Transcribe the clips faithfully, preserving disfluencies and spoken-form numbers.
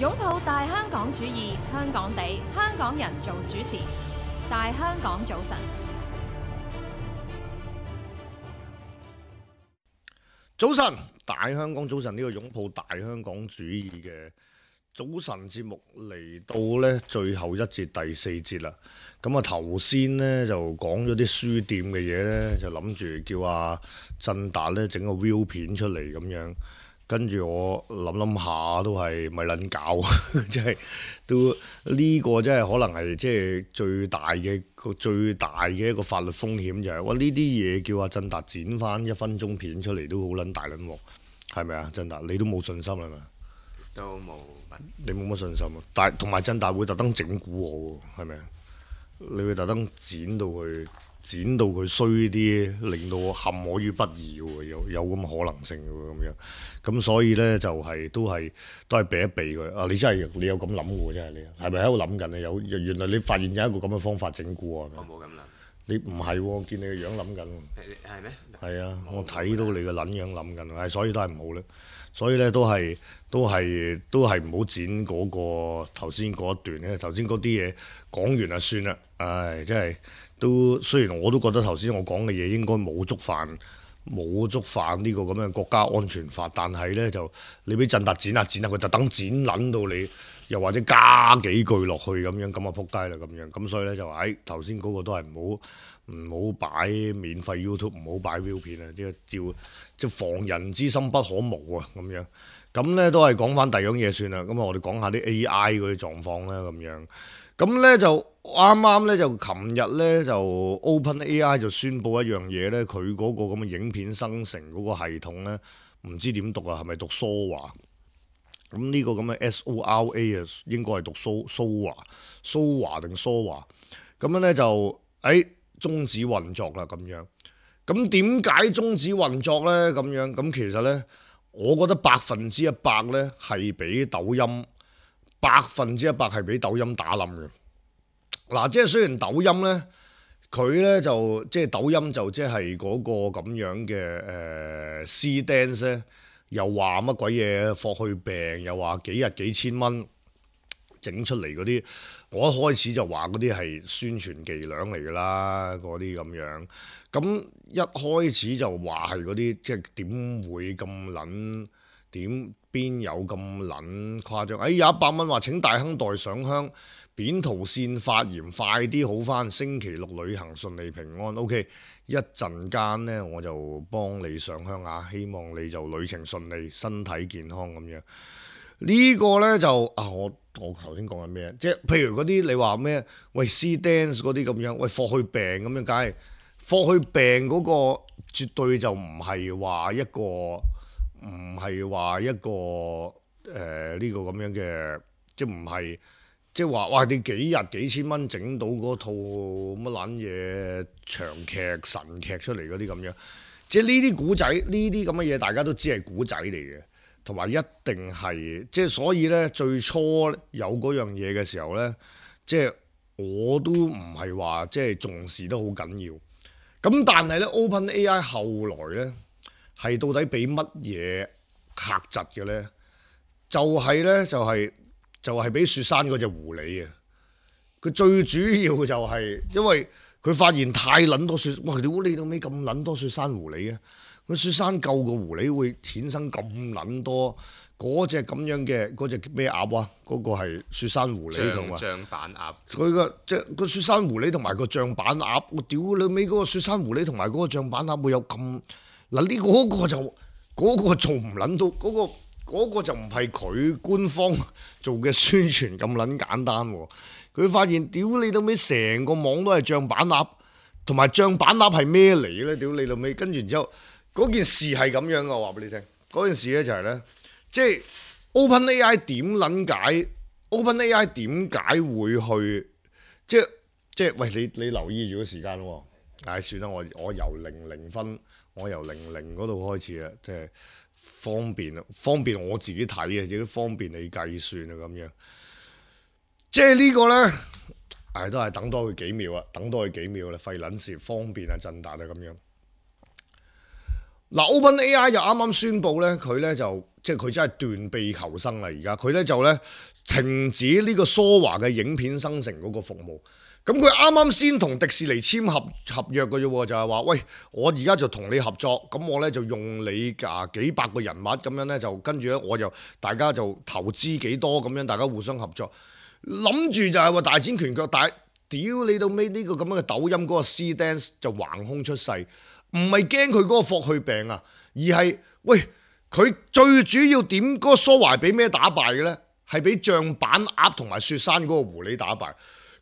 擁抱大香港主義，香港地，香港人做主持。大香港早晨，早晨，大香港早晨，呢個擁抱大香港主義嘅早晨節目嚟到呢最後一節第四節啦。咁啊頭先呢就講咗啲書店嘅嘢呢，就諗住叫阿振達呢整個 view 片出嚟咁樣。跟住我諗諗下都係咪撚搞，即係都呢個真係可能係即係最大嘅個最大嘅一個法律風險就係、是，哇！呢啲嘢叫阿振達剪翻一分鐘片出嚟都好撚大撚鑊，係咪啊？振達你都冇信心係咪？都冇乜，你冇乜信心啊？但係同埋振達會特登整蠱我喎，係咪啊？你會特登剪到佢。剪到佢衰啲，令到我陷我於不義喎，有有咁嘅可能性喎，咁樣，咁所以咧就係、是、都係都係避一避佢。啊，你真係你有咁諗喎，真係你係咪喺度諗緊啊？有原來你發現有一個咁嘅方法整蠱我。我冇咁諗。你唔係喎，我見你個樣諗緊。係咩？係啊，我睇到你個撚樣諗緊，係所以都係唔好咧。所以咧都係都係都係唔好剪嗰、那個頭先嗰一段咧。頭先嗰啲嘢講完就算啦。唉，真係。都雖然我都覺得頭先我講嘅嘢應該冇觸犯冇觸犯呢個咁嘅國家安全法，但係呢，就你俾振達剪下剪下，佢特登剪撚到你，又或者加幾句落去咁樣，咁啊撲街啦咁樣，咁所以呢，就話誒頭先嗰個都係唔好唔好擺免費 YouTube， 唔好擺 view 片啊，即係照即係防人之心不可無啊咁樣，咁呢，都係講翻第二樣嘢算啦，咁啊我哋講下啲 A I 嗰啲狀況啦咁樣。咁咧就啱啱咧就琴日咧就 OpenAI 就宣布一樣嘢咧，佢嗰個咁嘅影片生成嗰個系統咧，唔知點讀啊，係咪讀 Sora？咁呢個咁嘅 S O R A 啊，應該係讀 Sora，Sora 定 Sora？咁樣咧就誒終止運作啦咁樣。咁點解終止運作咧？咁樣咁其實咧，我覺得百分之一百咧係俾抖音。百分之一百係俾抖音打冧嘅。嗱，即係雖然抖音咧，佢咧就即係抖音就即係嗰個咁樣嘅誒 C Dance 咧，又話乜鬼嘢霍去病，又話幾日幾千蚊整出嚟嗰啲，我一開始就話嗰啲係宣傳伎倆嚟㗎啦，嗰啲咁樣。咁一開始就話係嗰啲，即係點會咁撚？點邊有咁撚誇張？哎，有一百蚊話請大亨代上香，扁桃腺發炎快啲好返，星期六旅行順利平安。OK， 一陣間呢，我就幫你上香啊，希望你就旅程順利，身體健康咁樣。呢、這個呢，就啊，我我頭先講緊咩？即係譬如嗰啲你話咩？喂 C Dance 嗰啲咁樣，喂霍去病咁樣，梗係霍去病嗰個絕對就唔係話一個。唔係話一個誒呢、呃這個咁樣嘅，即係唔係即係話哇！你幾日幾千蚊整到嗰套乜撚嘢長劇神劇出嚟嗰啲咁樣，即係呢啲古仔，呢啲咁嘅嘢大家都知係古仔嚟嘅，同埋一定係即係所以呢，最初有嗰樣嘢嘅時候呢，即係我都唔係話即係重視得好緊要。咁但係呢 OpenAI 後來呢。係到底俾乜嘢嚇窒嘅咧？就係、是、咧，就係、是、就係、是、俾雪山嗰隻狐狸啊！佢最主要就係因為佢發現太撚多雪，哇！屌你到尾咁撚多雪山狐狸啊！佢雪山救個狐狸會衍生咁撚多嗰隻咁樣嘅嗰隻咩鴨啊？嗰、那個係雪山狐狸同埋象板鴨。佢個即係個雪山狐狸同埋個象板鴨，我屌你尾嗰個雪山狐狸同埋嗰個象板鴨會有咁？嗱呢嗰個就嗰、嗰個做唔撚到，嗰、嗰個嗰個就唔係佢官方做嘅宣傳咁撚簡單喎。佢發現屌你老尾成個網都係象板鴨，同埋象板鴨係咩嚟咧？屌你老尾，跟住然之後嗰件事係咁樣嘅，我話俾你聽。嗰件事咧就係、係、咧，即係 OpenAI 點撚解 ？OpenAI 點解會去？即係即係喂你你留意住個時間喎。唉，算啦，我我由零零分。我由零零嗰度開始啊，即係方便啊，方便我自己睇啊，亦都方便你計算啊，咁樣。即係呢個咧，唉，都係等多佢幾秒啊，等多佢幾秒啦，費撚事，方便啊，振達啊，咁樣。嗱 ，OpenAI 就啱啱宣布咧，佢咧就即係佢真係斷臂求生啦！而家佢咧就咧停止呢個梳華嘅影片生成嗰個服務。咁佢啱啱先同迪士尼簽合合約嘅啫喎，就係話喂，我而家就同你合作，咁我咧就用你啊幾百個人物咁樣咧，就跟住咧我就大家就投資幾多咁樣，大家互相合作，諗住就係話大展拳腳，但係屌你到尾呢個咁樣嘅抖音嗰個 C Dance 就橫空出世。唔係驚佢嗰個霍去病啊，而係喂佢最主要點嗰個蘇華俾咩打敗嘅咧？係俾象板鴨同埋雪山嗰個狐狸打敗。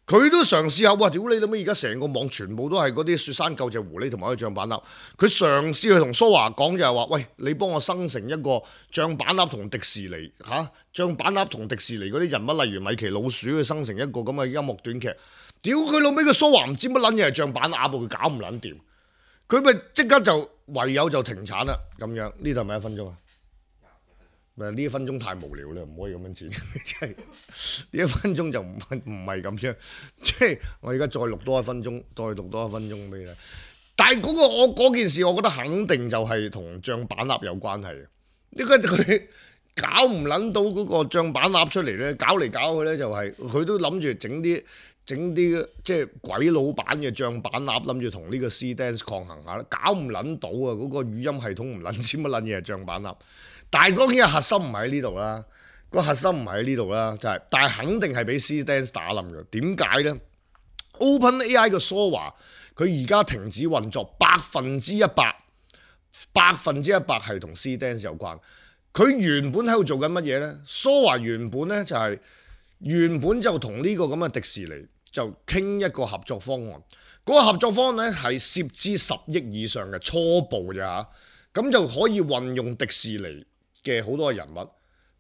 佢都嘗試下，哇！屌你諗咩？而家成個網全部都係嗰啲雪山救隻狐狸同埋個象板鴨。佢嘗試去同蘇華講就係話，喂，你幫我生成一個象板鴨同迪士尼嚇、啊，象板鴨同迪士尼嗰啲人物，例如米奇老鼠，去生成一個咁嘅音樂短劇。屌佢老尾個蘇華唔知乜撚嘢係象板鴨，佢搞唔撚掂。佢咪即刻就唯有就停產啦，咁樣呢度係咪一分鐘啊？咪呢一分鐘太無聊啦，唔可以咁樣剪，即係呢一分鐘就唔唔係咁樣，即係我而家再錄多一分鐘，再錄多一分鐘俾你。但係嗰個我嗰件事，我覺得肯定就係同象板鴨有關係嘅，因為佢搞唔撚到嗰個象板鴨出嚟咧，搞嚟搞去咧就係、是、佢都諗住整啲。整啲即係鬼佬版嘅象板鴨，諗住同呢個 C Dance 抗衡下啦，搞唔撚到啊！嗰、那個語音系統唔撚知乜撚嘢係象板鴨，但係當然核心唔喺呢度啦，個核心唔喺呢度啦，就係、是，但係肯定係俾 C Dance 打冧嘅。點解咧 ？OpenAI 嘅 Sora 佢而家停止運作，百分之一百，百分之一百係同 C Dance 有關。佢原本喺度做緊乜嘢咧 ？Sora 原本咧就係、是、原本就同呢個咁嘅迪士尼。就傾一個合作方案，嗰、那個合作方案咧係涉資十億以上嘅初步啫嚇，咁就可以運用迪士尼嘅好多人物，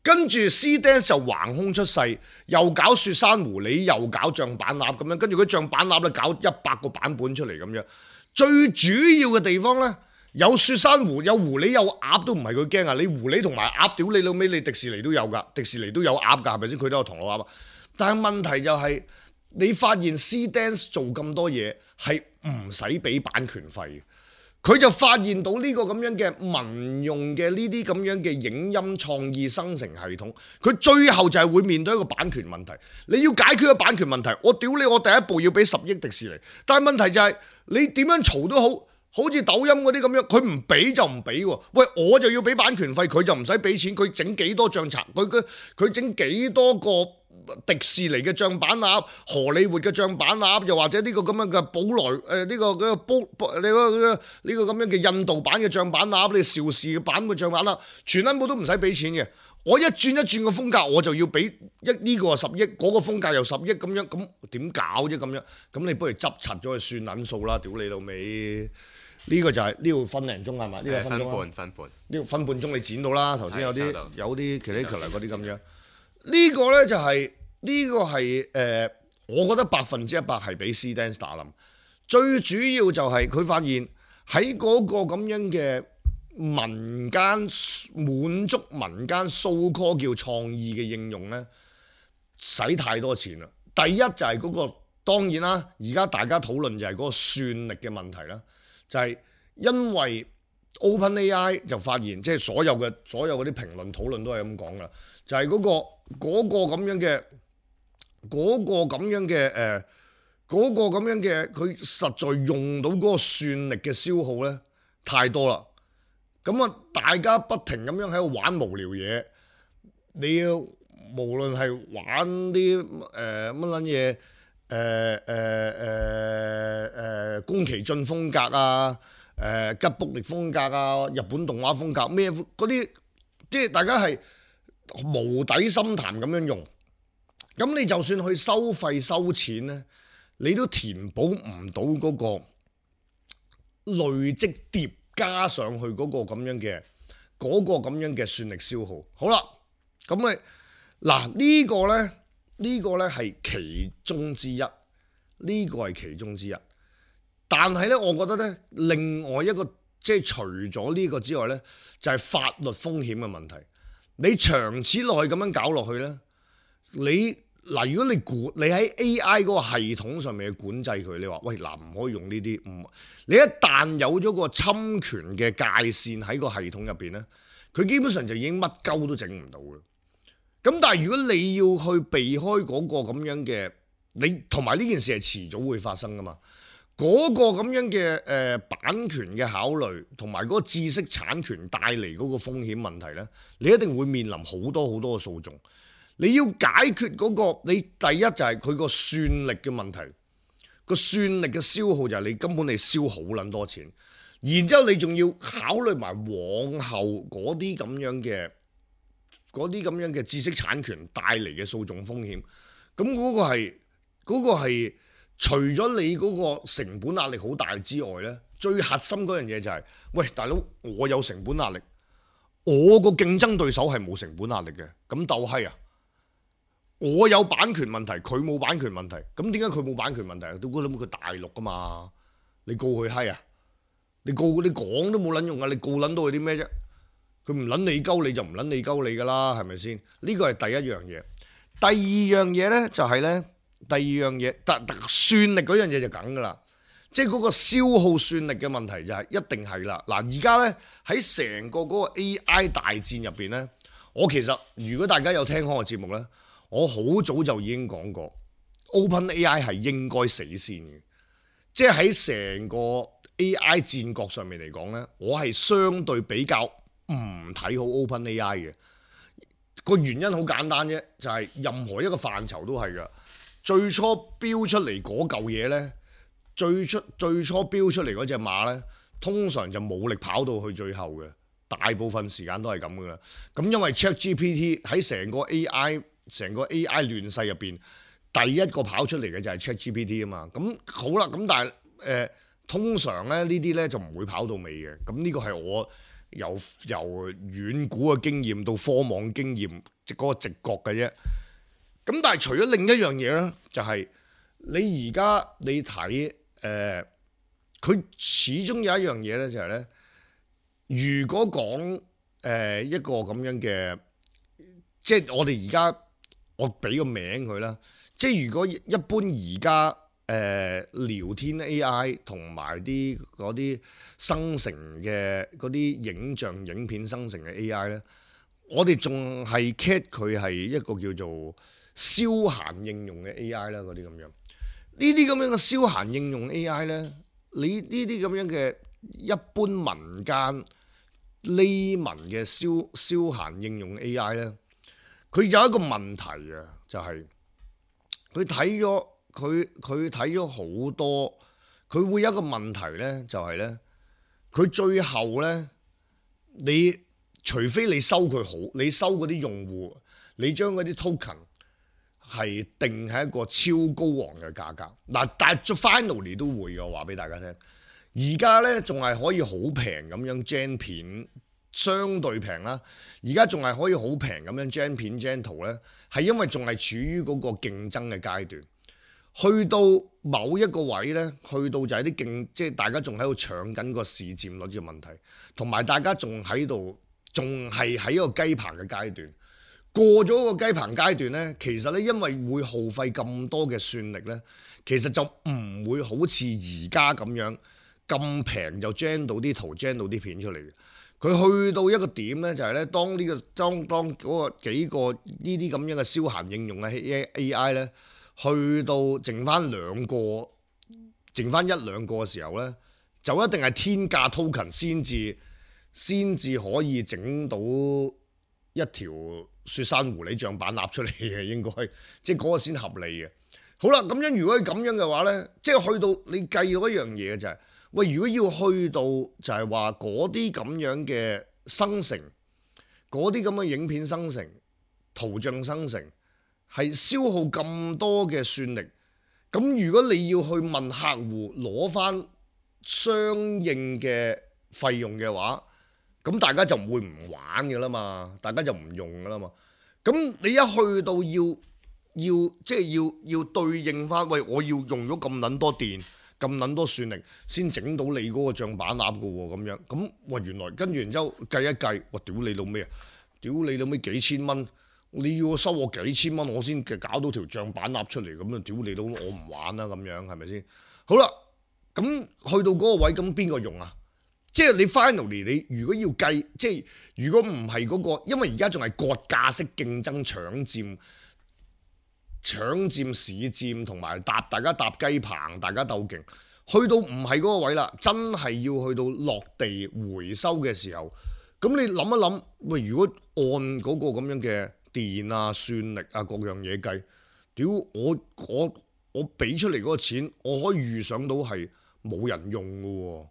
跟住 C Dance 就橫空出世，又搞雪山狐狸，又搞象板鴨咁樣，跟住佢象板鴨咧搞一百個版本出嚟咁樣，最主要嘅地方咧有雪山狐，有狐狸有鴨都唔係佢驚啊！你狐狸同埋鴨，屌你老尾，你迪士尼都有㗎，迪士尼都有鴨㗎，係咪先？佢都有唐老鴨啊，但係問題就係、是。你發現 C Dance 做咁多嘢係唔使俾版權費嘅，佢就發現到呢個咁樣嘅民用嘅呢啲咁樣嘅影音創意生成系統，佢最後就係會面對一個版權問題。你要解決個版權問題，我屌你，我第一步要俾十億迪士尼，但係問題就係、是、你點樣嘈都好，好似抖音嗰啲咁樣，佢唔俾就唔俾喎。喂，我就要俾版權費，佢就唔使俾錢，佢整幾多象賊，佢佢佢整幾多個。迪士尼嘅象板鴨、荷里活嘅象板鴨，又或者呢個咁樣嘅寶萊誒呢個嗰個寶你嗰呢個咁樣嘅印度版嘅象板鴨，你邵氏版嘅象板鴨，全部都唔使俾錢嘅。我一轉一轉個風格，我就要俾一呢個十億，嗰、嗰個風格又十億咁樣，咁點搞啫咁樣？咁你不如執柒咗去算撚數啦！屌你老味，呢、呢個就係呢度分零鐘係嘛？呢、呢個分鐘分半分半，呢個分半鐘你剪到啦。頭先有啲有啲奇哩奇嚟嗰啲咁樣。呢個咧就係、是、呢、這個係誒、呃，我覺得百分之一百係俾 C Dance 打冧。最主要就係佢發現喺嗰個咁樣嘅民間滿足民間 so call 叫創意嘅應用咧，使太多錢啦。第一就係嗰、那個當然啦，而家大家討論就係嗰個算力嘅問題啦，就係、是、因為 OpenAI 就發現，即係所有嘅所有嗰啲評論討論都係咁講噶，就係、是、嗰、那個。嗰個咁樣嘅，嗰、那個咁樣嘅，誒、呃，嗰、那個咁樣嘅，佢實在用到嗰個算力嘅消耗咧太多啦。咁啊，大家不停咁樣喺度玩無聊嘢，你要無論係玩啲誒乜撚嘢，誒誒誒誒宮崎駿風格啊，誒、呃、吉卜力風格啊，日本動畫風格咩嗰啲，即係大家係。無底深潭咁樣用，咁你就算去收費收錢咧，你都填補唔到嗰個累積疊加上去嗰個咁樣嘅嗰個咁樣嘅算力消耗。好啦，咁咪嗱呢個咧呢個咧係其中之一，呢個係其中之一。但係咧，我覺得咧另外一個即係除咗呢個之外咧，就係法律風險嘅問題。你長此落去咁樣搞落去咧，你嗱，如果你管你喺 A I 嗰個系統上面去管制佢，你話喂嗱唔可以用呢啲，唔你一旦有咗個侵權嘅界線喺個系統入邊咧，佢基本上就已經乜鳩都整唔到嘅。咁但係如果你要去避開嗰個咁樣嘅，你同埋呢件事係遲早會發生噶嘛？嗰、嗰個咁樣嘅誒、呃、版權嘅考慮，同埋嗰個知識產權帶嚟嗰個風險問題呢，你一定會面臨好多好多嘅訴訟。你要解決嗰、嗰個，你第一就係佢個算力嘅問題，個算力嘅消耗就係你根本你燒好撚多錢，然之後你仲要考慮埋往後嗰啲咁樣嘅嗰啲咁樣嘅知識產權帶嚟嘅訴訟風險。咁嗰個係嗰個係。除咗你嗰個成本壓力好大之外呢，最核心嗰樣嘢就係、是，喂大佬，我有成本壓力，我個競爭對手係冇成本壓力嘅，咁鬥閪啊！我有版權問題，佢冇版權問題，咁點解佢冇版權問題啊？都估諗佢大陸噶嘛，你告佢閪啊？你告你講都冇撚用啊！你告撚到佢啲咩啫？佢唔撚你鳩你就唔撚你鳩你噶啦，係咪先？呢個係第一樣嘢。第二樣嘢呢，就係、是、呢。第二樣嘢，特特算力嗰樣嘢就梗噶啦，即係嗰個消耗算力嘅問題就係、是、一定係啦。嗱，而家咧喺成個嗰個 A I 大戰入邊咧，我其實如果大家有聽開我節目咧，我好早就已經講過 OpenAI 係應該死先嘅，即係喺成個 A I 戰國上面嚟講咧，我係相對比較唔睇好 OpenAI 嘅。個原因好簡單啫，就係、是、任何一個範疇都係噶。最初標出嚟嗰嚿嘢呢，最初最初標出嚟嗰隻馬呢，通常就冇力跑到去最後嘅，大部分時間都係咁噶啦。咁因為 ChatGPT 喺成個 A I 成個 A I 亂世入邊，第一個跑出嚟嘅就係 ChatGPT 啊嘛。咁好啦，咁但係誒、呃、通常咧呢啲呢就唔會跑到尾嘅。咁呢個係我由由遠古嘅經驗到科網經驗，即嗰個直覺嘅啫。咁但係除咗另一樣嘢咧，就係、是、你而家你睇誒，佢、呃、始終有一樣嘢咧，就係、是、咧，如果講誒、呃、一個咁樣嘅，即係我哋而家我俾個名佢啦，即係如果一般而家誒聊天 A I 同埋啲嗰啲生成嘅嗰啲影像影片生成嘅 A I 咧，我哋仲係 cat 佢係一個叫做消閒應用嘅 A I 啦，嗰啲咁樣，呢啲咁樣嘅消閒應用 A I 咧，你呢啲咁樣嘅一般民間 layman 嘅消消閒應用 A I 咧，佢有一個問題啊，就係佢睇咗佢佢睇咗好多，佢會有一個問題咧，就係咧，佢最後咧，你除非你收佢好，你收嗰啲用戶，你將嗰啲 token係定係一個超高昂嘅價格，嗱，但係 finally 都會嘅，我話俾大家聽。而家咧仲係可以好平咁樣 gen 片，相對平啦。而家仲係可以好平咁樣 gen 片 gen 圖咧，係因為仲係處於嗰個競爭嘅階段。去到某一個位咧，去到就係啲競，即係大家仲喺度搶緊個市佔率嘅問題，同埋大家仲喺度，仲係喺一個雞棚嘅階段。過咗個雞棚階段呢，其實呢，因為會耗費咁多嘅算力呢，其實就唔會好似而家咁樣咁平就 gen 到啲圖 gen 到啲片出嚟嘅。佢去到一個點呢，就係呢，當呢個當當嗰個幾個呢啲咁樣嘅消閒應用嘅 A I 呢，去到剩翻兩個，剩翻一兩個嘅時候呢，就一定係天價 token 先至先至可以整到一條雪山狐狸象板立出嚟嘅，應該即係嗰個先合理嘅。好啦，咁樣如果係咁樣嘅話呢，即係去到你計到一樣嘢就係、是，喂，如果要去到就係話嗰啲咁樣嘅生成，嗰啲咁嘅影片生成、圖像生成，係消耗咁多嘅算力，咁如果你要去問客戶攞翻相應嘅費用嘅話，咁大家就唔會唔玩嘅啦嘛，大家就唔用嘅啦嘛。咁你一去到要要即係要要對應翻，喂，我要用咗咁撚多電、咁撚多算力先整到你嗰個象板鴨嘅喎，咁樣咁，喂，原來跟住然之後計一計，我屌你老咩啊？屌你老咩幾千蚊？你要收我幾千蚊，我先搞到條帳板鴨出嚟，咁啊屌你都我唔玩啦咁樣，係咪先？好啦，咁去到嗰個位，咁邊個用啊？即係你 finally 你如果要計，即係如果唔係嗰個，因為而家仲係割價式競爭搶佔。搶佔市佔同埋搭大家搭雞棚，大家鬥勁，去到唔係嗰個位啦，真係要去到落地回收嘅時候，咁你諗一諗，喂，如果按嗰個咁樣嘅電啊、算力啊各樣嘢計，屌我我我俾出嚟嗰個錢，我可以預想到係冇人用嘅喎，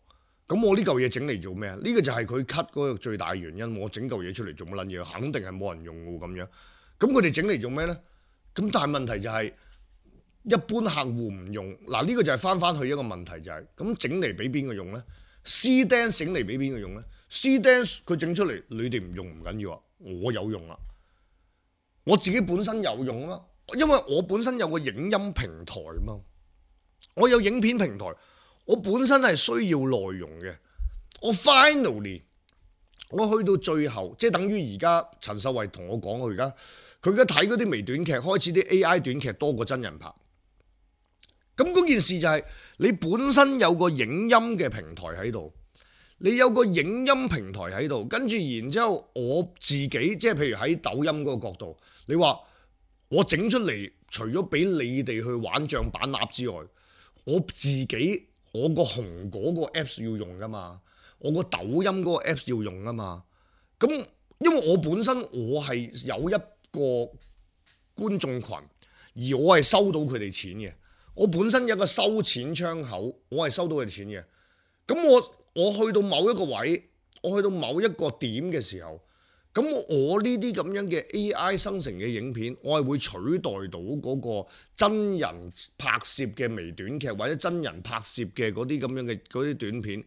咁我呢嚿嘢整嚟做咩啊？呢個就係佢 cut 嗰個最大原因，我整嚿嘢出嚟做乜撚嘢？肯定係冇人用嘅咁樣，咁佢哋整嚟做咩呢？咁但係問題就係、是、一般客戶唔用，嗱、這、呢個就係翻翻去一個問題就係、是，咁整嚟俾邊個用呢？ C Dance 整嚟俾邊個用呢？ C Dance 佢整出嚟，你哋唔用唔緊要啊，我有用啊，我自己本身有用啊，因為我本身有個影音平台嘛，我有影片平台，我本身係需要內容嘅，我 finally 我去到最後，即係等於而家陳秀慧同我講，佢而家。佢而家睇嗰啲微短劇，開始啲 A I 短劇多過真人拍。咁嗰件事就係、是、你本身有個影音嘅平台喺度，你有個影音平台喺度，跟住然之後我自己即係譬如喺抖音嗰個角度，你話我整出嚟，除咗俾你哋去玩帳板鴨之外，我自己我個紅嗰個 Apps 要用噶嘛，我個抖音嗰個 Apps 要用噶嘛。咁因為我本身我係有一個觀眾群，而我係收到佢哋錢嘅，我本身有一個收錢窗口，我係收到佢哋錢嘅。咁我我去到某一個位，我去到某一個點嘅時候，咁我呢啲咁樣嘅 A I 生成嘅影片，我係會取代到嗰個真人拍攝嘅微短劇或者真人拍攝嘅嗰啲咁樣嘅嗰啲短片，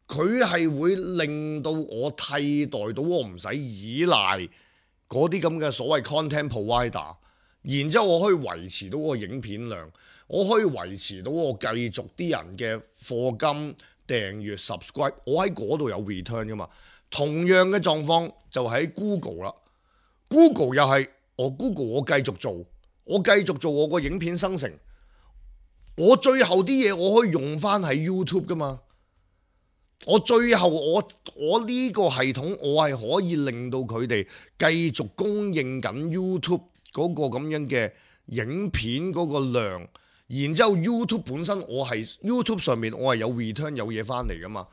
佢係會令到我替代到我唔使依賴嗰啲咁嘅所謂 content provider， 然之後我可以維持到個影片量，我可以維持到我繼續啲人嘅課金、訂閱、subscribe， 我喺嗰度有 return 噶嘛。同樣嘅狀況就喺 Google 啦 ，Google 又係我 Google 我繼續做，我繼續做我個影片生成，我最後啲嘢我可以用翻喺 YouTube 噶嘛。我最後我我呢個系統我係可以令到佢哋繼續供應緊 YouTube 嗰個咁樣嘅影片嗰個量，然之後 YouTube 本身我係 YouTube 上面我係有 return 有嘢翻嚟噶嘛。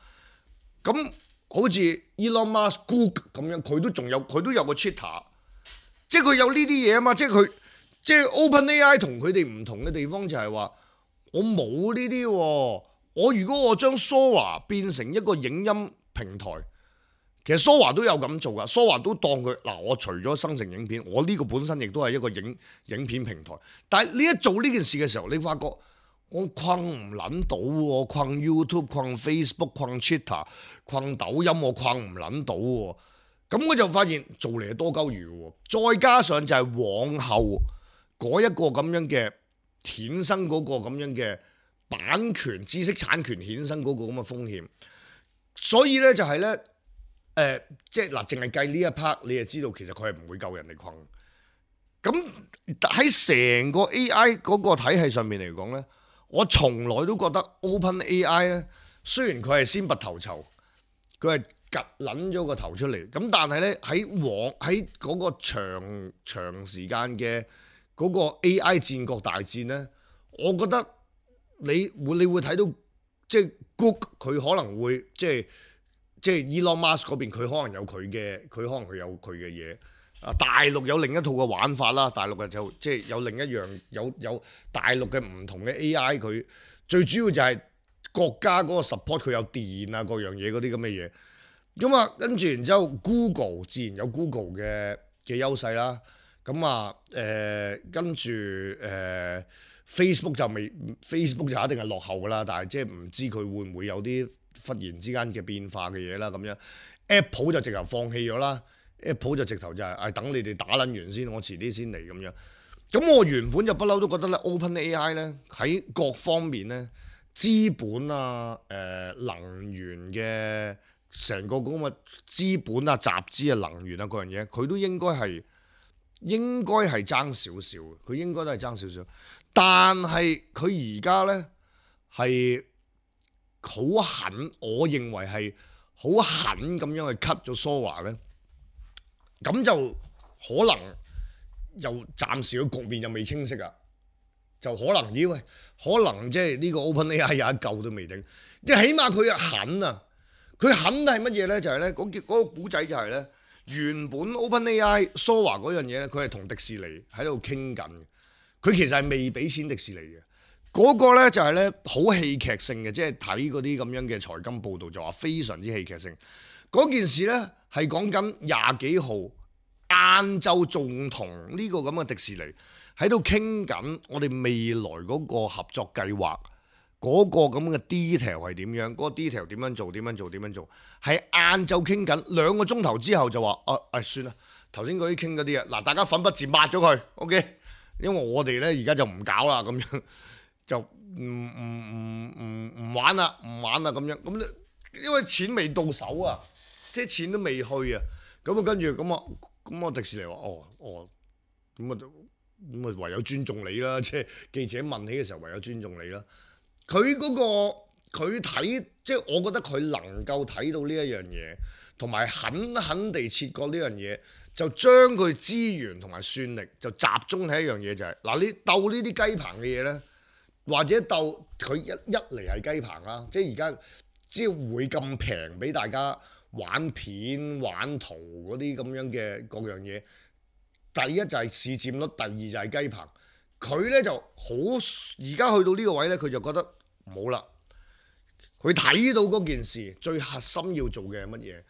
咁好似 Elon Musk Google 咁樣，佢都仲有佢都有個 Twitter， 即係佢有呢啲嘢啊嘛。即係佢即係 OpenAI 同佢哋唔同嘅地方就係話我冇呢啲喎。我如果我將 Sora 變成一個影音平台，其實 Sora 都有咁做噶 ，Sora 都當佢嗱，我除咗生成影片，我呢個本身亦都係一個影影片平台。但係你一做呢件事嘅時候，你發覺我困唔撚到喎，困 YouTube、困 Facebook、困 Twitter、困抖音，我困唔撚到喎。咁我就發現做嚟係多鳩餘嘅喎，再加上就係往後嗰一個咁樣嘅衍生嗰個咁樣嘅版權、知識產權衍生嗰個咁嘅風險，所以咧就係、是、咧，誒、呃，即係嗱，淨係計呢一 part，你就知道其實佢係唔會夠人哋困。咁喺成個 A I 嗰個體系上面嚟講咧，我從來都覺得 OpenAI 咧，雖然佢係先拔頭籌，佢係趌撚咗個頭出嚟，咁但係咧喺往喺嗰個長長時間嘅嗰個 A I 戰國大戰咧，我覺得。你會你會睇到即係 Google 佢可能會即係即係 Elon Musk 嗰邊佢可能有佢嘅佢可能佢有佢嘅嘢啊，大陸有另一套嘅玩法啦，大陸嘅就即係有另一樣有有大陸嘅唔同嘅 A I， 佢最主要就係國家嗰個 support 佢有電啊各樣嘢嗰啲咁嘅嘢，咁啊跟住然之後 Google 自然有 Google 嘅嘅優勢啦，咁啊誒跟住誒。呃Facebook 就未 ，Facebook 就一定係落後噶啦，但係即係唔知佢會唔會有啲忽然之間嘅變化嘅嘢啦咁樣。Apple 就直頭放棄咗啦 ，Apple 就直頭就係、是、誒、哎、等你哋打撚完先，我遲啲先嚟咁樣。咁我原本就不嬲都覺得咧 ，OpenAI 咧喺各方面咧資本啊、誒、呃、能源嘅成個咁嘅資本啊、集資啊、能源啊嗰樣嘢，佢都應該係應該係爭少少，佢應該都係爭少少。但係佢而家呢係好狠，我認為係好狠咁樣去 cut 咗蘇華呢，咁就可能又暫時個局面又未清晰啊，就可能以為可能即係呢個 OpenAI 有一救都未定，即係起碼佢係狠啊！佢狠係乜嘢呢？就係呢嗰嗰個古仔就係呢，原本 OpenAI 蘇華嗰樣嘢呢，佢係同迪士尼喺度傾緊。佢其實係未俾錢迪士尼嘅，嗰、那個咧就係咧好戲劇性嘅，即係睇嗰啲咁樣嘅財金報導就話非常之戲劇性。嗰件事咧係講緊廿幾號晏晝仲同呢個咁嘅迪士尼喺度傾緊我哋未來嗰個合作計劃，嗰、那個咁嘅 detail 係點樣，嗰、那個 detail 點樣做點樣做點樣做，係晏晝傾緊兩個鐘頭之後就話啊啊算啦，頭先嗰啲傾嗰啲啊，嗱大家粉筆字抹咗佢 ，OK。因為我哋咧而家就唔搞啦，咁樣就唔唔唔唔唔玩啦，唔玩啦咁樣。咁因為錢未到手啊，即係錢都未去啊。咁啊跟住咁啊咁啊迪士尼話哦哦，咁啊咁啊唯有尊重你啦。即係記者問起嘅時候，唯有尊重你啦。佢嗰個佢睇，即係我覺得佢能夠睇到呢一樣嘢，同埋狠狠地切割呢樣嘢。就將佢資源同埋算力就集中喺一樣嘢，就係、是、嗱，你鬥呢啲雞棚嘅嘢呢，或者鬥佢一一嚟係雞棚啦，即係而家只要會咁平俾大家玩片玩圖嗰啲咁樣嘅各樣嘢。第一就係市佔率，第二就係雞棚。佢呢就好，而家去到呢個位呢，佢就覺得冇啦。佢睇到嗰件事最核心要做嘅係乜嘢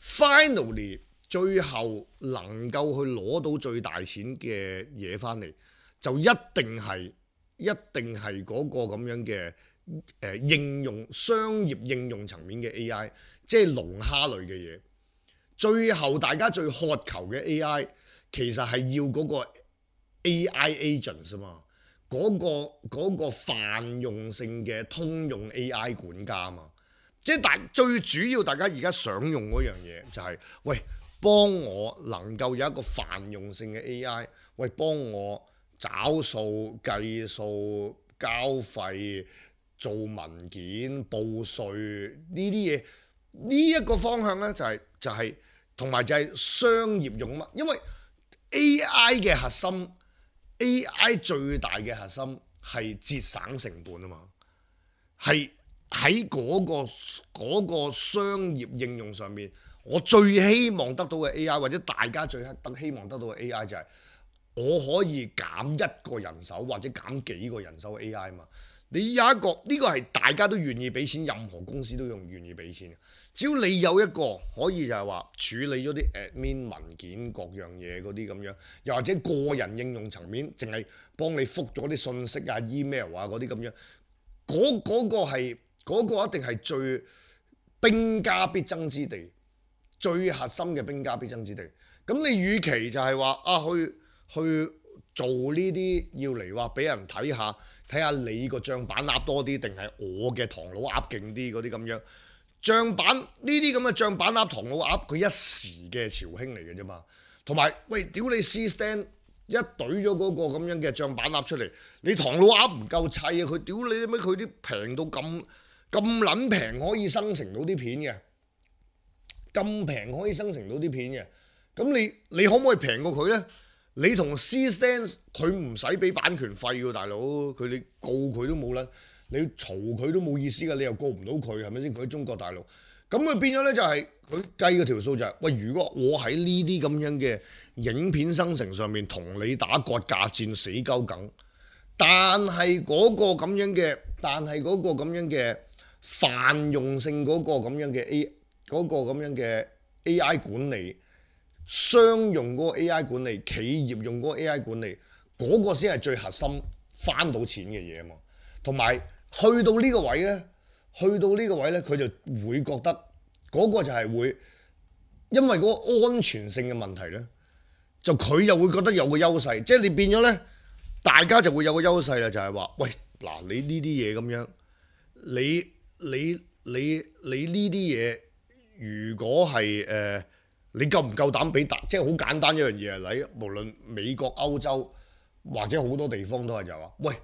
？Finally。最後能夠去攞到最大錢嘅嘢翻嚟，就一定係一定係嗰個咁樣嘅誒、呃、應用商業應用層面嘅 A I， 即係龍蝦類嘅嘢。最後大家最渴求嘅 A I 其實係要嗰個 A I agents 啊嘛，嗰、嗰個嗰、嗰個泛用性嘅通用 A I 管家啊嘛，即係大最主要大家而家想用嗰樣嘢就係、係、喂。幫我能夠有一個泛用性嘅 A I， 喂，幫我找數、計數、交費、做文件、報稅呢啲嘢，呢一個方向呢，就係就係同埋就係商業用乜？因為 A I 嘅核心 ，A I 最大嘅核心係節省成本啊嘛，係喺嗰個嗰個商業應用上面。我最希望得到嘅 A I， 或者大家最得希望得到嘅 A I 就係我可以減一個人手或者減幾個人手嘅 A I 嘛。你有一個呢、呢個係大家都願意俾錢，任何公司都用願意俾錢。只要你有一個可以就係話處理咗啲 admin 文件各樣嘢嗰啲咁樣，又或者個人應用層面，淨係幫你覆咗啲信息啊、email 啊嗰啲咁樣，嗰、嗰個係嗰、嗰個一定係最兵家必爭之地。最核心嘅兵家必爭之地，咁你與其就係話啊去去做呢啲要嚟話俾人睇下，睇下你個帳板鴨多啲定係我嘅唐老鴨勁啲嗰啲咁樣，帳板呢啲咁嘅帳板鴨唐老鴨佢一時嘅潮興嚟嘅啫嘛，同埋喂屌你 C-Stand 一懟咗嗰個咁樣嘅帳板鴨出嚟，你唐老鴨唔夠砌啊，佢屌你咩佢啲平到咁咁撚平可以生成到啲片嘅。咁平可以生成到啲片嘅，咁你你可唔可以平過佢呢？你同 C-Stand 佢唔使俾版權費㗎，大佬佢你告佢都冇啦，你嘈佢都冇意思㗎，你又告唔到佢係咪先？佢喺中國大陸，咁佢變咗呢就係佢計嗰條數就係、是，喂，如果我喺呢啲咁樣嘅影片生成上面同你打割價戰死鳩梗，但係嗰個咁樣嘅，但係嗰個咁樣嘅泛用性嗰個咁樣嘅 A。嗰個咁樣嘅 A I 管理，商用嗰個 A I 管理，企業用嗰個 A I 管理，嗰、嗰個先係最核心翻到錢嘅嘢啊嘛。同埋去到呢個位呢，去到呢個位呢，佢就會覺得嗰個就係會，因為嗰個安全性嘅問題呢，就佢又會覺得有個優勢，即係你變咗呢，大家就會有個優勢啦，就係話，喂，嗱，你呢啲嘢咁樣，你你你你呢啲嘢。如果係誒、呃、你夠唔夠膽俾大？即係好簡單一樣嘢啊！你無論美國、歐洲或者好多地方都係就話，喂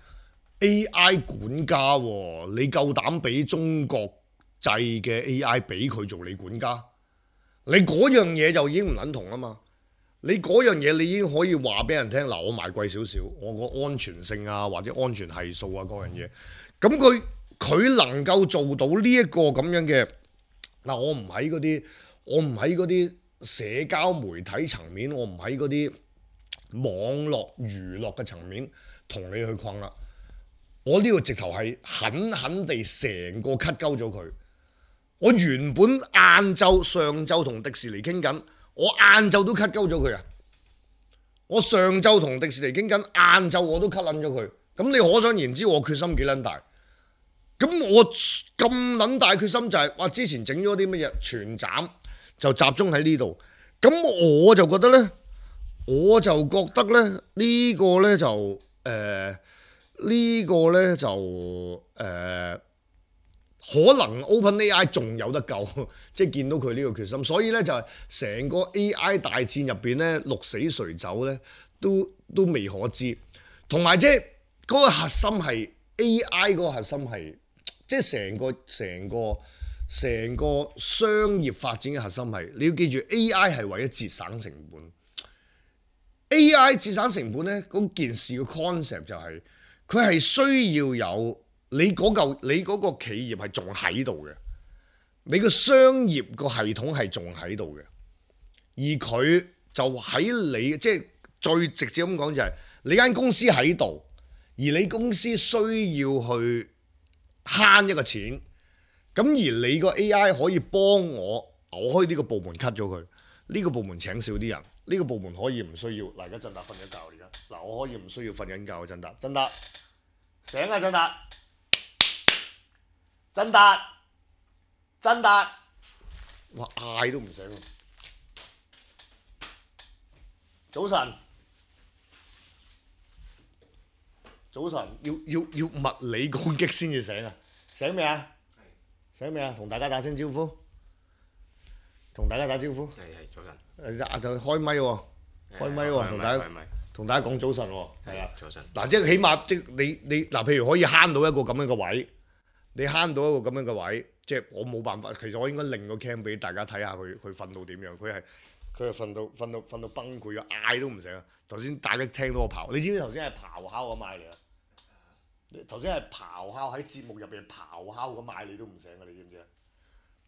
A I 管家喎、啊，你夠膽俾中國製嘅 A I 俾佢做你管家？你嗰樣嘢就已經唔撚同啊嘛！你嗰樣嘢你已經可以話俾人聽，嗱，我賣貴少少，我個安全性啊或者安全係數啊嗰樣嘢，咁佢佢能夠做到呢一個咁樣嘅嗱，我唔喺嗰啲，我唔喺嗰啲社交媒體層面，我唔喺嗰啲網絡娛樂嘅層面同你去困啦。我呢個直頭係狠狠地成個 cut 鳩咗佢。我原本晏晝上晝同迪士尼傾緊，我晏晝都 cut 鳩咗佢啊！我上晝同迪士尼傾緊，晏晝我都 cut 撚咗佢。咁你可想而知我決心幾撚大？咁我咁撚大決心就係話之前整咗啲乜嘢全斬，就集中喺呢度。咁我就覺得呢，我就覺得咧呢、呢個呢就誒呢、呃呢個呢就誒。呃可能 OpenAI 仲有得救，即係見到佢呢個決心，所以咧就係成個 A I 大戰入邊咧，鹿死誰走咧，都都未可知。同埋即係嗰個核心係 A I 嗰個核心係，即係成個成個成個商業發展嘅核心係，你要記住 A I 係為咗節省成本。A I 節省成本咧，嗰件事嘅 concept 就係佢係需要有。你嗰嚿你嗰個企業係仲喺度嘅，你個商業個系統係仲喺度嘅，而佢就喺你即係最直接咁講就係你間公司喺度，而你公司需要去慳一個錢，咁而你個 A I 可以幫我，我可以呢個部門 cut 咗佢，呢個部門請少啲人，呢個部門可以唔需要。嗱，而家振達瞓緊覺而家，嗱我可以唔需要瞓緊覺啊，振達，振達醒啊，振達。振達，振達，哇嗌都唔醒。早晨，早晨，要要要物理攻擊先至醒啊！醒未啊？醒未啊？同大家打聲招呼，同大家打招呼。係係早晨。誒就開咪喎，開咪喎，同大家同大家講早晨喎。係啊，早晨。嗱，即係起碼即係你你嗱，譬如可以慳到一個咁樣嘅位。你慳到一個咁樣嘅位，即係我冇辦法。其實我應該另個 cam 俾大家睇下佢佢瞓到點樣。佢係佢係瞓到瞓到瞓到崩潰啊！嗌都唔醒啊！頭先大家聽到我咆，你知唔知頭先係咆哮咁嗌嚟啊？頭先係咆哮喺節目入邊咆哮咁嗌你都唔醒啊！你知唔知啊？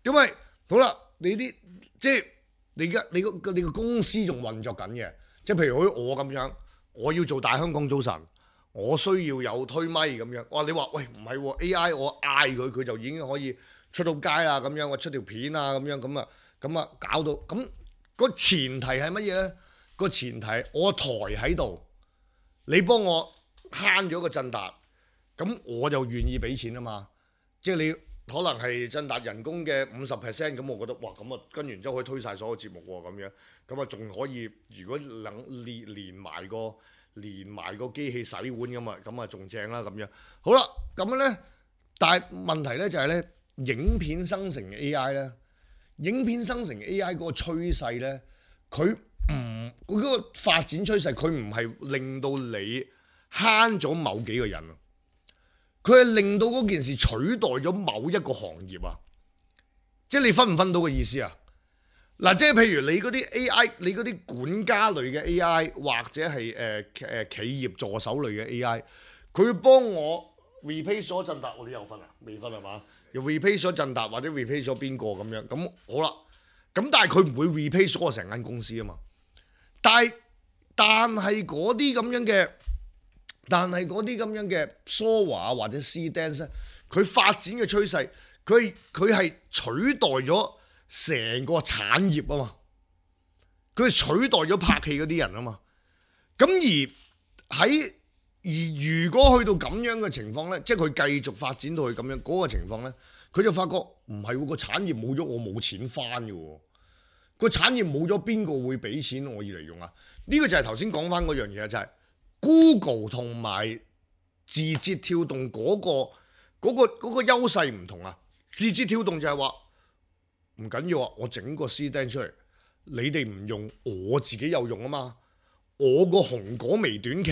因為好啦，你啲即係你而家你個你個公司仲運作緊嘅，即係譬如好似我咁樣，我要做大香港早晨。我需要有推咪咁樣，哇！你話喂唔係喎 A I， 我嗌佢佢就已經可以出到街啦咁樣，我出條片啊咁樣咁啊咁啊搞到咁，個前提係乜嘢咧？個前提我台喺度，你幫我慳咗個振達，咁我就願意俾錢啊嘛。即係你可能係振達人工嘅五十 percent，咁我覺得哇咁啊跟完之後可以推晒所有節目喎咁樣，咁啊仲可以如果能連連埋個。連埋個機器洗碗咁啊，咁啊仲正啦咁樣。好啦，咁樣咧，但係問題咧就係咧，影片生成 A I 咧，影片生成 A I 嗰個趨勢咧，佢唔佢嗰個發展趨勢，佢唔係令到你慳咗某幾個人啊，佢係令到嗰件事取代咗某一個行業啊。即係你分唔分到個意思啊？嗱，即係譬如你嗰啲 A I，你嗰啲管家類嘅 A I，或者係誒誒企業助手類嘅 A I，佢幫我 replace 咗振達，我哋有分啊？未分係嘛？又 replace 咗振達或者 replace 咗邊個咁樣？咁好啦，咁但係佢唔會 replace 咗我成間公司啊嘛。但係但係嗰啲咁樣嘅，但係嗰啲咁樣嘅 software 或者 C-Dance，佢發展嘅趨勢，佢佢係取代咗成個產業啊嘛，佢取代咗拍戲嗰啲人啊嘛，咁而喺而如果去到咁樣嘅情況呢，即係佢繼續發展到去咁樣嗰個情況呢，佢就發覺唔係喎，個產業冇咗，我冇錢翻嘅喎，個產業冇咗，邊個會俾錢我要嚟用啊？呢個就係頭先講翻嗰樣嘢，就係 Google 同埋字節跳動嗰個嗰個嗰個優勢唔同啊。字節跳動就係話，唔緊要啊，我整個 C-Dance 出嚟，你哋唔用，我自己有用啊嘛。我個紅果微短劇，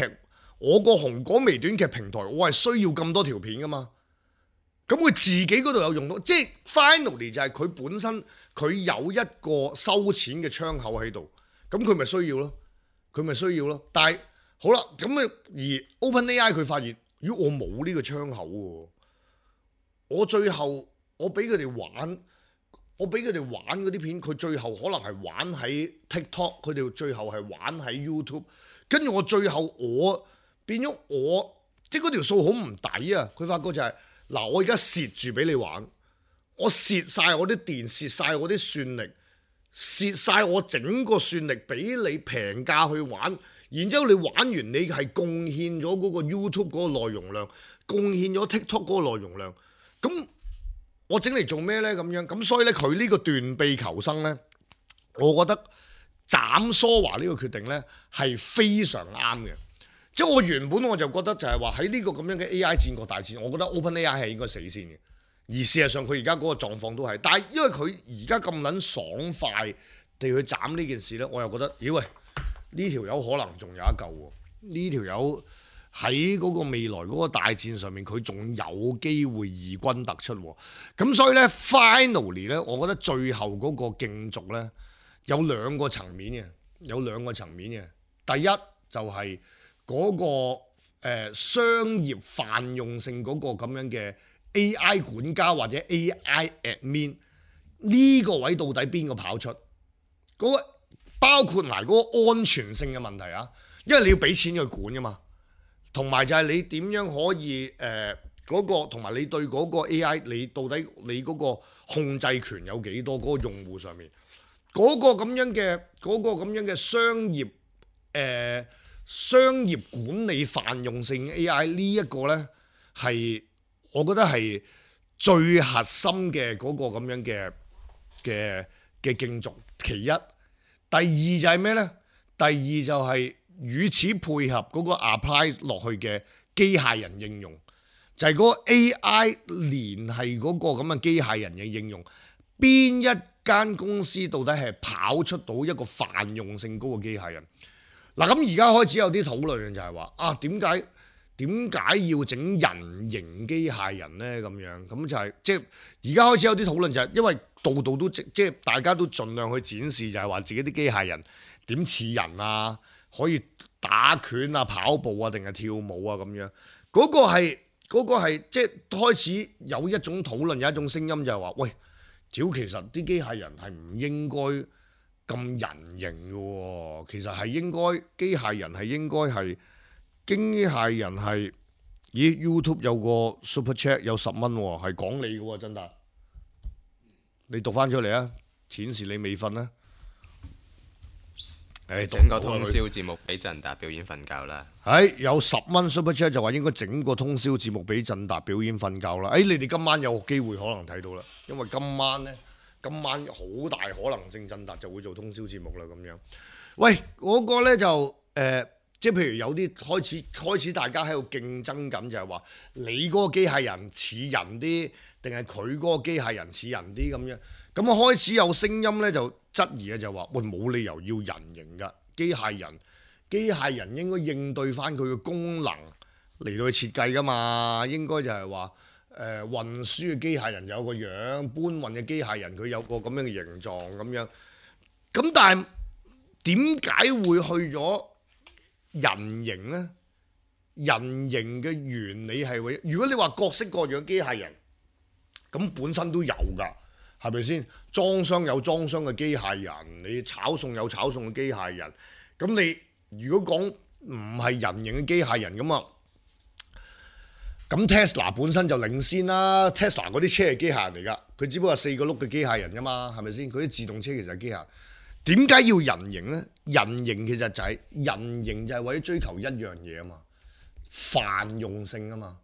我個紅果微短劇平台，我係需要咁多條片噶嘛。咁佢自己嗰度有用到，即係 finally 就係佢本身佢有一個收錢嘅窗口喺度，咁佢咪需要咯，佢咪需要咯。但係好啦，咁啊而 OpenAI 佢發現，如果我冇呢個窗口喎，我最後我俾佢哋玩，我俾佢哋玩嗰啲片，佢最後可能係玩喺 TikTok， 佢哋最後係玩喺 YouTube， 跟住我最後我變咗我，即係嗰條數好唔抵啊！佢發覺就係、是。嗱，我而家蝕住俾你玩，我蝕晒我啲電，蝕晒我啲算力，蝕晒我整個算力俾你平價去玩，然之後你玩完你係貢獻咗嗰個 YouTube 嗰個內容量，貢獻咗 TikTok 嗰個內容量，咁我整嚟做咩呢？咁樣咁所以呢，佢呢個斷臂求生呢，我覺得斬梳華呢個決定呢係非常啱嘅。即係我原本我就覺得就係話喺呢個咁樣嘅 A I 戰國大戰，我覺得 OpenAI 係應該死先嘅。而事實上佢而家嗰個狀況都係，但係因為佢而家咁撚爽快地去斬呢件事呢，我又覺得，咦喂，呢條友可能仲有一嚿喎。呢條友喺嗰個未來嗰個大戰上面，佢仲有機會異軍突出。咁所以呢 finally 呢，我覺得最後嗰個競逐呢，有兩個層面嘅，有兩個層面嘅。第一就係、是。嗰、那個誒、呃、商業泛用性嗰個咁樣嘅 A I 管家或者 A I admin 呢個位到底邊個跑出？嗰、那個包括埋嗰個安全性嘅問題啊，因為你要俾錢去管噶嘛，同埋就係你點樣可以誒嗰、呃那個同埋你對嗰個 A I 你到底你嗰個控制權有幾多？嗰、那個用戶上面嗰、那個咁樣嘅嗰、那個咁樣嘅商業誒。呃商業管理泛用性 A I 呢一個呢，係我覺得係最核心嘅嗰個咁樣嘅嘅嘅競逐。其一，第二就係咩呢？第二就係與此配合嗰個 apply 落去嘅機械人應用，就係、是、嗰個 A I 連係嗰個咁嘅機械人嘅應用，邊一間公司到底係跑出到一個泛用性高嘅機械人？嗱，咁而家開始有啲討論就係話啊，點解點解要整人形機械人呢？咁樣咁就係、是、即係而家開始有啲討論就係因為度度都即即係大家都盡量去展示就係話自己啲機械人點似人啊，可以打拳啊、跑步啊定係跳舞啊咁樣。嗰、那個係嗰、那個係即係開始有一種討論，有一種聲音就係話喂，屌其實啲機械人係唔應該咁人形嘅喎，其實係應該機械人係應該係機械人係，咦 YouTube 有個 Super Chat 有十蚊喎，係講你嘅喎，真達，你讀翻出嚟啊！顯示你未瞓啦。誒，整個通宵節目俾振達表演瞓覺啦。係有十蚊 Super Chat 就話應該整個通宵節目俾振達表演瞓覺啦。誒，你哋今晚有機會可能睇到啦，因為今晚呢。今晚好大可能性，振達就會做通宵節目啦咁樣。喂，嗰、那個呢就誒、呃，即係譬如有啲開始開始大家喺度競爭緊，就係話你嗰個機械人似人啲，定係佢嗰個機械人似人啲咁樣。咁啊開始有聲音呢就質疑嘅就話：喂，冇理由要人形㗎，機械人機械人應該應對翻佢嘅功能嚟到去設計㗎嘛，應該就係話。誒、呃、運輸嘅機械人有個樣，搬運嘅機械人佢有個咁樣嘅形狀咁樣。咁但係點解會去咗人形呢？人形嘅原理係為，如果你話各式各樣機械人，咁本身都有㗎，係咪先？裝箱有裝箱嘅機械人，你炒餸有炒餸嘅機械人。咁你如果講唔係人形嘅機械人咁啊？咁 Tesla 本身就領先啦 ，Tesla 嗰啲車係機械人嚟㗎，佢只不過係四個轆嘅機械人啫嘛，係咪先？佢啲自動車其實係機械人，點解要人形呢？人形其實就係、是、人形就係為咗追求一樣嘢啊嘛，泛用性啊嘛，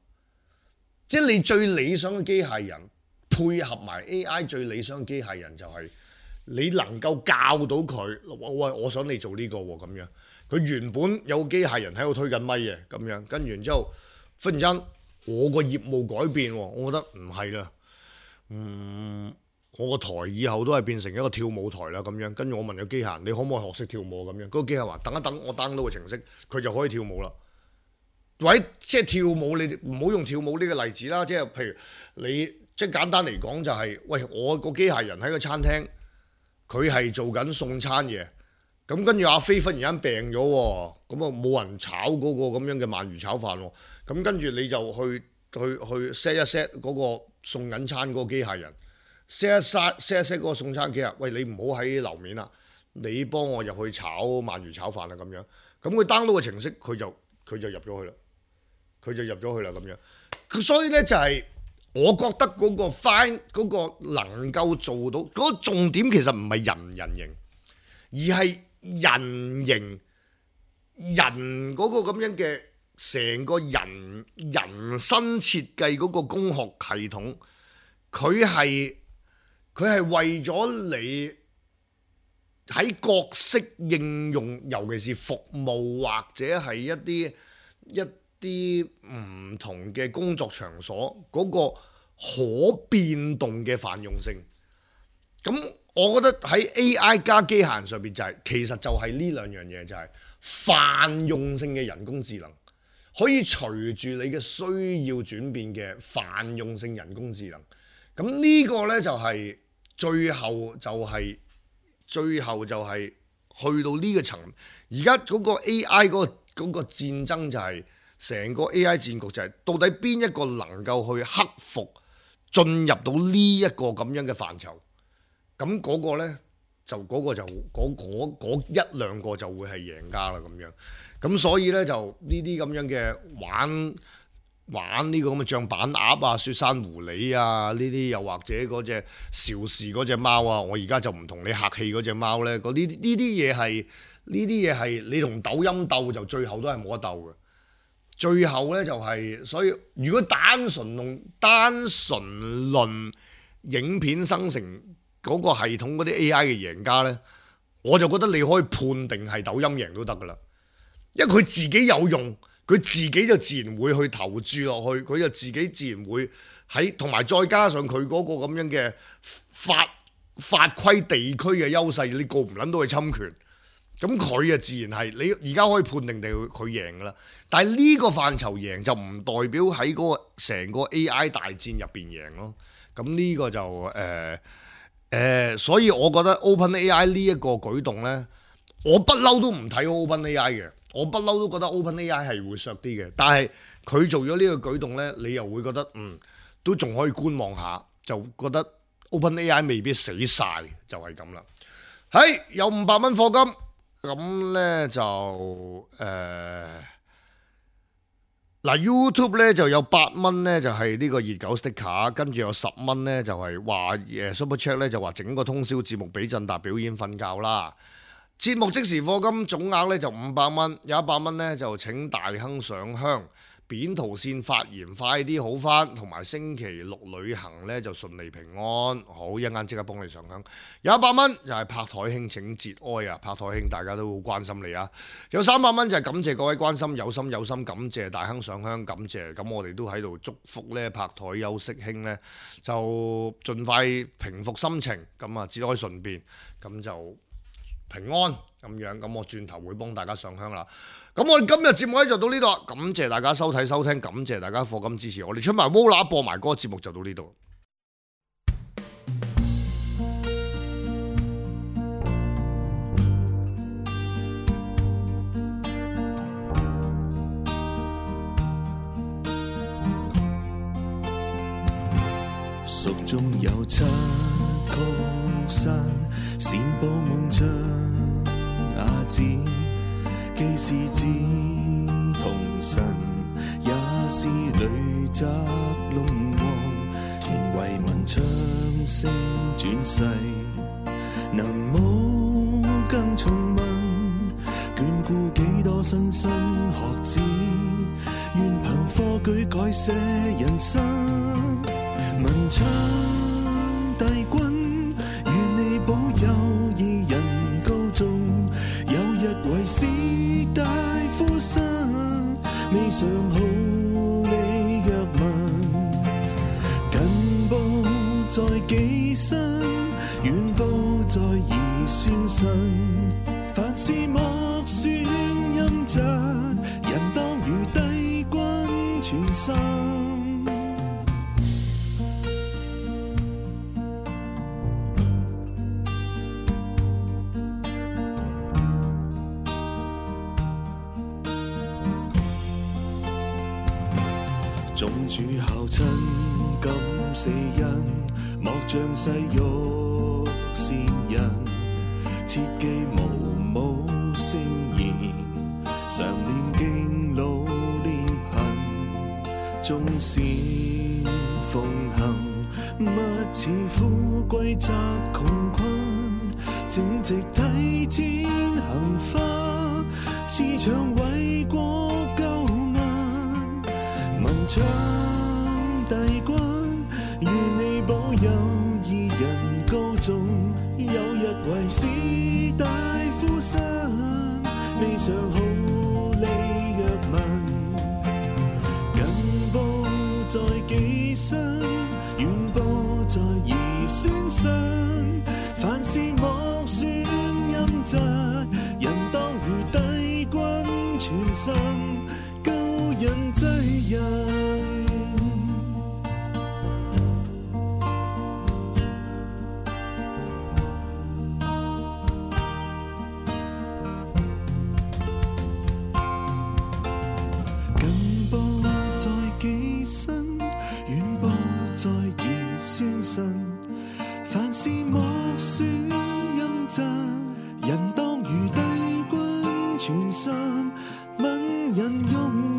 即係你最理想嘅機械人配合埋 A I 最理想嘅機械人就係你能夠教到佢，喂，我想你做呢、這個喎咁樣，佢原本有個機械人喺度推緊咪嘅咁樣，跟住之後忽然間。我個業務改變，我覺得唔係啦，嗯，我個台以後都係變成一個跳舞台啦咁樣。跟住我問個機械人，你可唔可以學識跳舞咁樣？嗰、那個機械人話等一等，我 download 個程式，佢就可以跳舞啦。或者即係跳舞，你唔好用跳舞呢個例子啦。即係譬如你即係簡單嚟講就係、是，喂，我個機械人喺個餐廳，佢係做緊送餐嘅。咁跟住阿飛忽然間病咗，咁啊冇人炒嗰個咁樣嘅鰻魚炒飯喎。咁跟住你就去去去 set 一 set 嗰個送緊餐嗰個機械人 set 一 set set 一 set 嗰個送餐機啊！喂，你唔好喺樓面啦，你幫我入去炒鰻魚炒飯啦咁樣。咁佢 download 個程式，佢就佢就入咗去啦。佢就入咗去啦咁樣，所以咧就係、是、我覺得嗰個 fine 嗰個能夠做到嗰、那個重點其實唔係人唔人形，而係人形人嗰個咁樣嘅成個人人生設計嗰個工學系統，佢係佢係為咗你喺角色應用，尤其是服務或者係一啲一啲唔同嘅工作場所嗰個可變動嘅泛用性，咁我覺得喺 A I 加機械人上邊就係其實就係呢兩樣嘢，就係泛用性嘅人工智能，可以隨住你嘅需要轉變嘅泛用性人工智能。咁呢個呢，就係最後就係最後就係去到呢個層，而家嗰個 A I 嗰個嗰個戰爭就係。成個 A I 戰局就係到底邊一個能夠去克服進入到呢一個咁樣嘅範疇，咁嗰個呢，就嗰個就嗰嗰嗰一兩個就會係贏家啦咁樣。咁所以呢，就呢啲咁樣嘅玩玩呢個咁嘅象板鴨啊、雪山狐狸啊呢啲，又或者嗰隻邵氏嗰隻貓啊，我而家就唔同你客氣嗰隻貓呢。嗰啲呢啲嘢係呢啲嘢係你同抖音鬥就最後都係冇得鬥嘅。最後咧就係、是，所以如果單純用單純論影片生成嗰個系統嗰啲 A I 嘅贏家咧，我就覺得你可以判定係抖音贏都得噶啦，因為佢自己有用，佢自己就自然會去投注落去，佢就自己自然會喺，同埋再加上佢嗰個咁樣嘅法法規地區嘅優勢，你告唔撚到佢侵權。咁佢啊自然係你而家可以判定地佢贏噶啦，但係呢個範疇贏就唔代表喺嗰個成個 A I 大戰入邊贏咯。咁呢個就誒誒、呃呃，所以我覺得 OpenAI 呢一個舉動呢，我不嬲都唔睇好 OpenAI 嘅，我不嬲都覺得 OpenAI 係會削啲嘅。但係佢做咗呢個舉動呢，你又會覺得嗯都仲可以觀望下，就覺得 OpenAI 未必死晒，就係咁啦。係有五百蚊課金。咁咧就誒嗱、呃、YouTube 咧就有八蚊咧就係呢個熱狗 sticker，跟住有十蚊咧就係話誒 Super Chat 咧就話整個通宵節目俾振達表演瞓覺啦。節目即時課金總額咧就五百蚊，有一百蚊咧就請大亨上香。扁桃腺發炎快啲好返，同埋星期六旅行咧就順利平安。好，一陣間即刻幫你上香。有一百蚊就係拍台兄請節哀啊！拍台兄大家都好關心你啊。有三百蚊就係感謝各位關心，有心有心感謝大亨上香，感謝。咁我哋都喺度祝福咧拍台休息兄咧就盡快平復心情，咁啊節哀順變，咁就平安咁樣。咁我轉頭會幫大家上香啦。咁我哋今日節目咧就到呢度，感謝大家收睇收聽，感謝大家課金支持，我哋出埋 Vola 播埋歌，節目就到呢度。蜀中有七曲山，善報夢像亞子。既是志同神，也是女宅龍王，同為民唱聲轉世。南無更重問，眷顧幾多莘莘學子，願憑科舉改寫人生。文昌帝君，願你保佑二人高中，有日為士大夫生，未嘗好你若問，近報在幾身。算神，凡事莫算陰質，人當如帝君全心。眾主孝親敢死因，莫像世欲善人，切記無母聖言，常念經老憐貧，縱使奉行，勿似富貴窄窮困，正直體天行花，志長為國救民，文昌帝君，願你保佑義人高頌，有日為士大夫身，未嘗好利若民，近報在己身，遠報在兒孫身，凡事莫算陰質，人當如帝君全心，救人濟人。凡事莫算陰質，人當如帝君全心，問人用